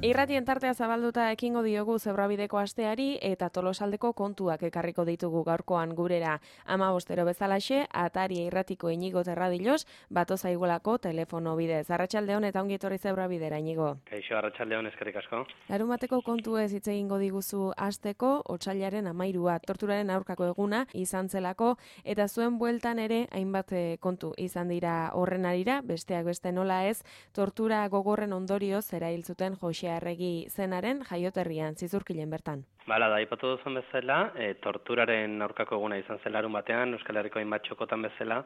Irratien tartea zabalduta ekingo diogu Zebrabideko asteari eta Tolosaldeko kontuak ekarriko ditugu gaurkoan gurera. 15 bezalaxe, Ataria irratiko Inigo Terradilos, bato zaigulako telefono bidez. Arratsaldeon eta ongi etorri Zebrabidera, Inigo. Kaixo, arratsaldeon, eskerrik asko. Larunbateko kontuez hitz egingo diguzu asteko, otsailaren 13a, torturaren aurkako eguna izan zelako, eta zuen bueltan ere hainbat kontu izan dira horren arira, besteak beste nola ez, tortura gogorren ondorioz erail zuten Jose Arregi zenaren jaioterrian, Zizurkilen bertan. Bala, da, ipatu duzun bezala, torturaren aurkako eguna izan zen larun batean, Euskal Herriko hainbat txokotan bezala,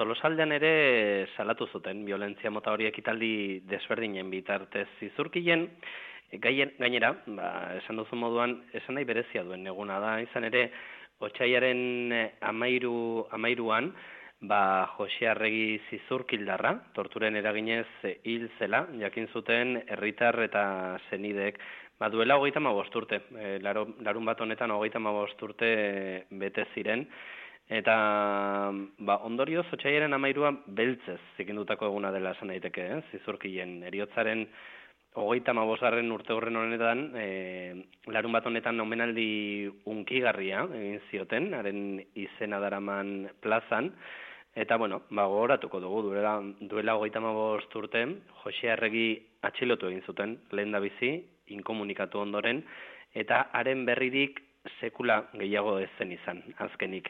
Tolosaldean ere salatu zuten, violentzia mota hori ekitaldi desberdinen bitartez Zizurkilen, gainera, esan duzun moduan, esan nahi berezia duen eguna da, izan ere, otsailaren 13an, Jose Arregi Zizurkildarra, torturen eraginez hil zela, jakin zuten herritar eta senideek. Duela 35 urte, larun bat honetan 35 urte bete ziren, eta ondorioz otsailaren 13a beltzez zikindutako eguna dela esan daiteke, Zizurkilen heriotzaren 35. urte horren honetan, larun bat honetan omenaldi unkigarria egin zioten, haren izena daraman plazan, eta, gogoratuko dugu, duela 35 urte, Jose Arregi atxilotu egin zuten, lehen da bizi, inkomunikatu ondoren, eta haren berririk sekula gehiago ez zen izan, azkenik.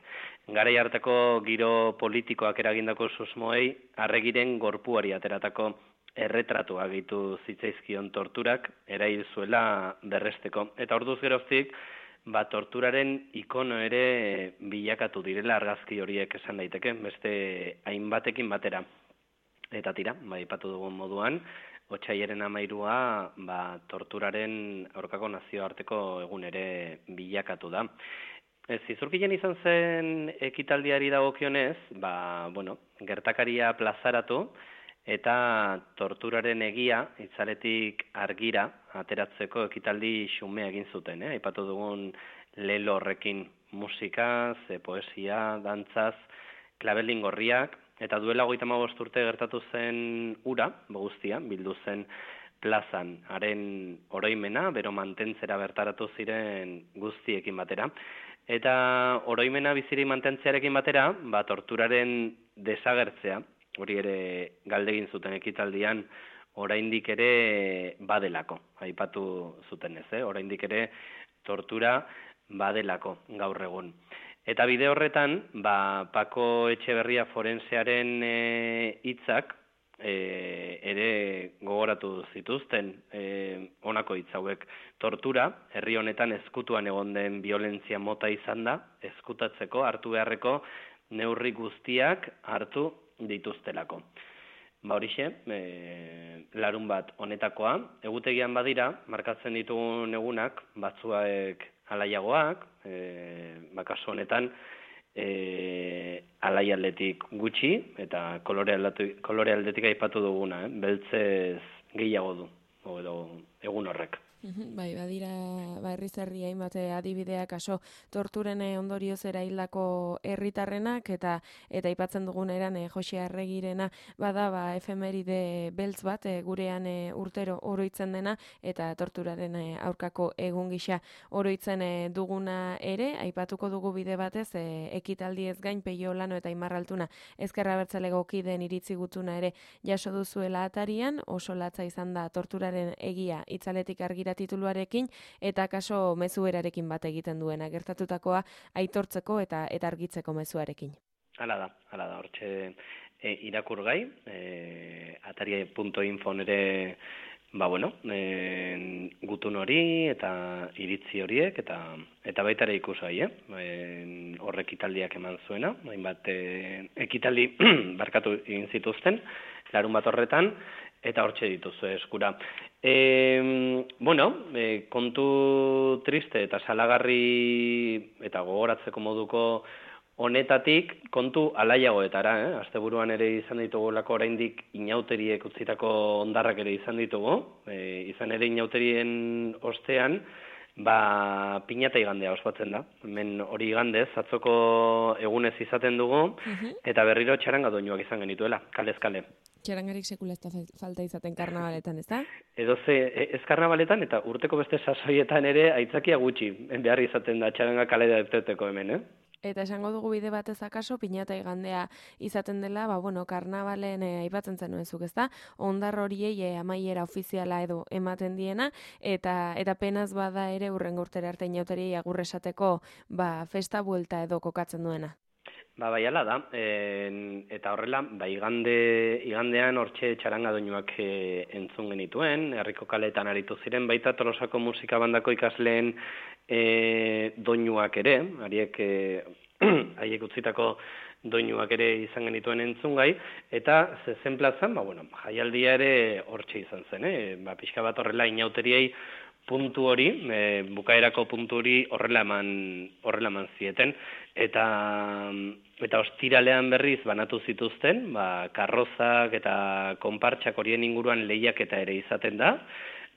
Garai hartako giro politikoak eragindako susmoei, Arregiren gorpuari ateratako erretratua gehitu zitzaizkion torturak, erail zuela berresteko. Eta orduz geroztik, torturaren ikono ere bilakatu direla argazki horiek esan daiteke, beste hainbatekin batera. Eta tira, ipatu dugun moduan, otsailaren 13a torturaren aurkako nazioarteko egun ere bilakatu da. Zizurkilen izan zen ekitaldiari dagokionez, gertakaria plazaratu, eta torturaren egia, itzaletik argira, ateratzeko ekitaldi xumea egin zuten. Aipatu dugun lelo horrekin musikaz, poesia, dantzaz, klabelin gorriak, eta duela 35 urte gertatu zen ura, guztia, bildu zen plazan, haren oroimena, bero mantentzera bertaratu ziren guztiekin batera. Eta oroimena biziri mantentzearekin batera, torturaren desagertzea, hori ere galdegin zuten ekitaldian, oraindik ere badelako, aipatu zuten ez, oraindik ere tortura badelako gaur egun. Eta bide horretan, Pako Etxeberria forensearen hitzak ere gogoratu zituzten honako hitz hauek. Tortura, herri honetan ezkutuan egon den violentzia mota izan da, ezkutatzeko hartu beharreko neurri guztiak hartu dituztelako. Horixe, larun bat honetakoa, egutegian badira, markatzen ditugun egunak, batzuek alaiagoak, kasu honetan, alai aldetik gutxi, eta kolore aldetik aipatu duguna, beltzez gehiago du, edo egun horrek. Bai, badira, herri hainbat adibideak aso torturen ondorioz eraildako herritarrenak eta aipatzen dugun eran Jose Arregirena bada efemeride beltz bat gurean urtero oroitzen dena eta torturaren aurkako egun gisa oroitzen duguna ere, aipatuko dugu bide batez ekitaldi ez gain Peio Olano eta Aimar Altuna Ezker Abertzaleko kideen iritzi gutuna ere jaso duzuela Atarian, oso latza izan da torturaren egia itzaletik argira tituluarekin eta kaso mezuerarekin bat egiten duena gertatutakoa aitortzeko eta argitzeko mezuarekin. Hala da, hortxe irakurgai, ataria.info ere gutun hori eta iritzi horiek eta baita ere ikusgai, horrek ekitaldiak eman zuena, hainbat ekitaldi barkatu egin zituzten, larun bat horretan, eta hortxe dituzu eskura. Kontu triste eta salagarri eta gogoratzeko moduko honetatik kontu alaiagoetara, asteburuan ere izan ditugulako oraindik inauteriek utzitako hondarrak ere izan ditugu, izan ere inauterien ostean, Piñata igandea ospatzen da. Hemen hori igandez, atzoko egunez izaten dugu, eta berriro txaranga doinuak izan genituela, kalez kale. Txarangarik sekula ez da falta izaten karnabaletan, ez da? Ez karnabaletan eta urteko beste sasoietan ere aitzakia gutxi behar izaten da txaranga kalera depteteko hemen, Eta esango dugu bide batez akaso, pinata igandea izaten dela, karnabalen aipatzen zenuen zuk, ezta? Ondar horiei amaiera ofiziala edo ematen diena, eta penaz bada ere urrengo urtera arte inauteriei agur esateko festa buelta edo kokatzen duena. Bai ala da, eta horrela, igandean hortxe txaranga doinuak entzun genituen, herriko kaletan aritu ziren, baita Tolosako musika bandako ikasleen doinuak ere, haiek utzitako doinuak ere izan genituen entzungai, eta zezen plazan, jaialdia ere hortxe izan zen, pixka bat horrela inauteriei puntu hori, bukaerako puntu hori horrela eman zieten, eta ostiralean berriz banatu zituzten, karrozak eta konpartxak horien inguruan lehiaketa ere izaten da,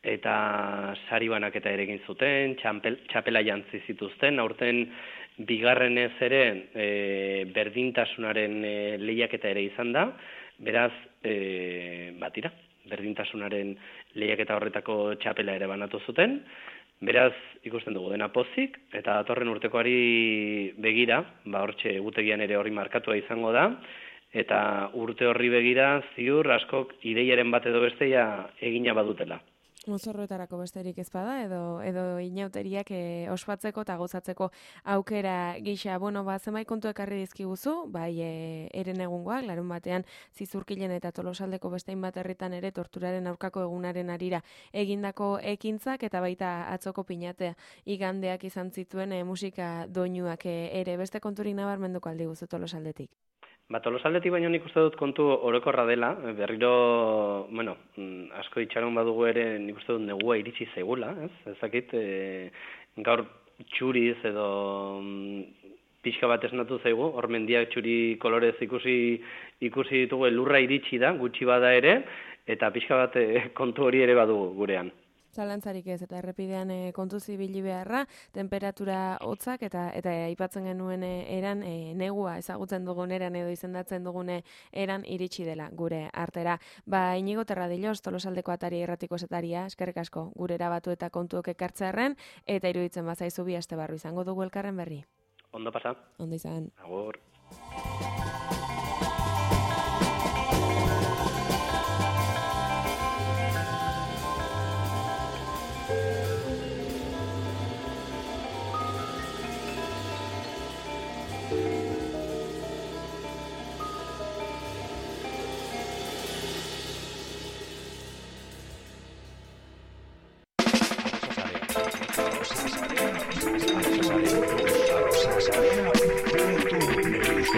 eta sari banaketa ere egin zuten, txapela jantzi zituzten, aurten bigarrenez ere berdintasunaren lehiaketa ere izan da, beraz, berdintasunaren lehiaketa horretako txapela ere banatu zuten, beraz, ikusten dugu dena pozik, eta datorren urtekoari begira, hortxe egutegian ere hori markatua izango da, eta urte horri begira ziur askok ideiaren bat edo bestea egina badutela. Mozorroetarako besterik ez bada, edo inauteriak ospatzeko eta gozatzeko aukera gisa. Zenbait kontu ekarri dizkiguzu, eren egungoak, larun batean Zizurkilen eta Tolosaldeko bestein bat herritan ere torturaren aurkako egunaren arira egindako ekintzak, eta baita atzoko pinatea igandeak izan zituen musika doinuak ere. Beste konturik nabarmenduko aldi guzu Tolosaldetik? Tolosaldetik baino nik uste dut kontu orokorra dela, berriro, asko itxaron badugu ere nik uste dut negua iritsi zaigula, ezakit, gaur txuriz edo pixka bat esnatu zaigu, hor mendiak txuri kolorez ikusi ditugu, lurra iritsi da, gutxi bada ere, eta pixka bat kontu hori ere badugu gurean. Zalantzarik ez, eta errepidean kontu zibili beharra, temperatura hotzak eta aipatzen genuen eran negua ezagutzen dugun eran edo izendatzen dugun eran iritsi dela gure artera. Inigo Terradillos, Tolosaldeko atari erratiko esetaria, eskerrik asko gure erabatu eta kontuok ekartzearren, eta iruditzen bazaizu bi aste barru izango dugu elkarren berri. Ondo pasa. Ondo izan. Agur.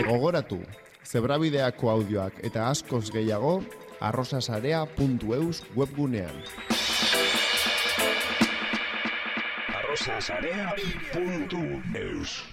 Gogoratu, Zebrabideako audioak eta askoz gehiago arrosasarea.eus webgunean. arrosasarea.eus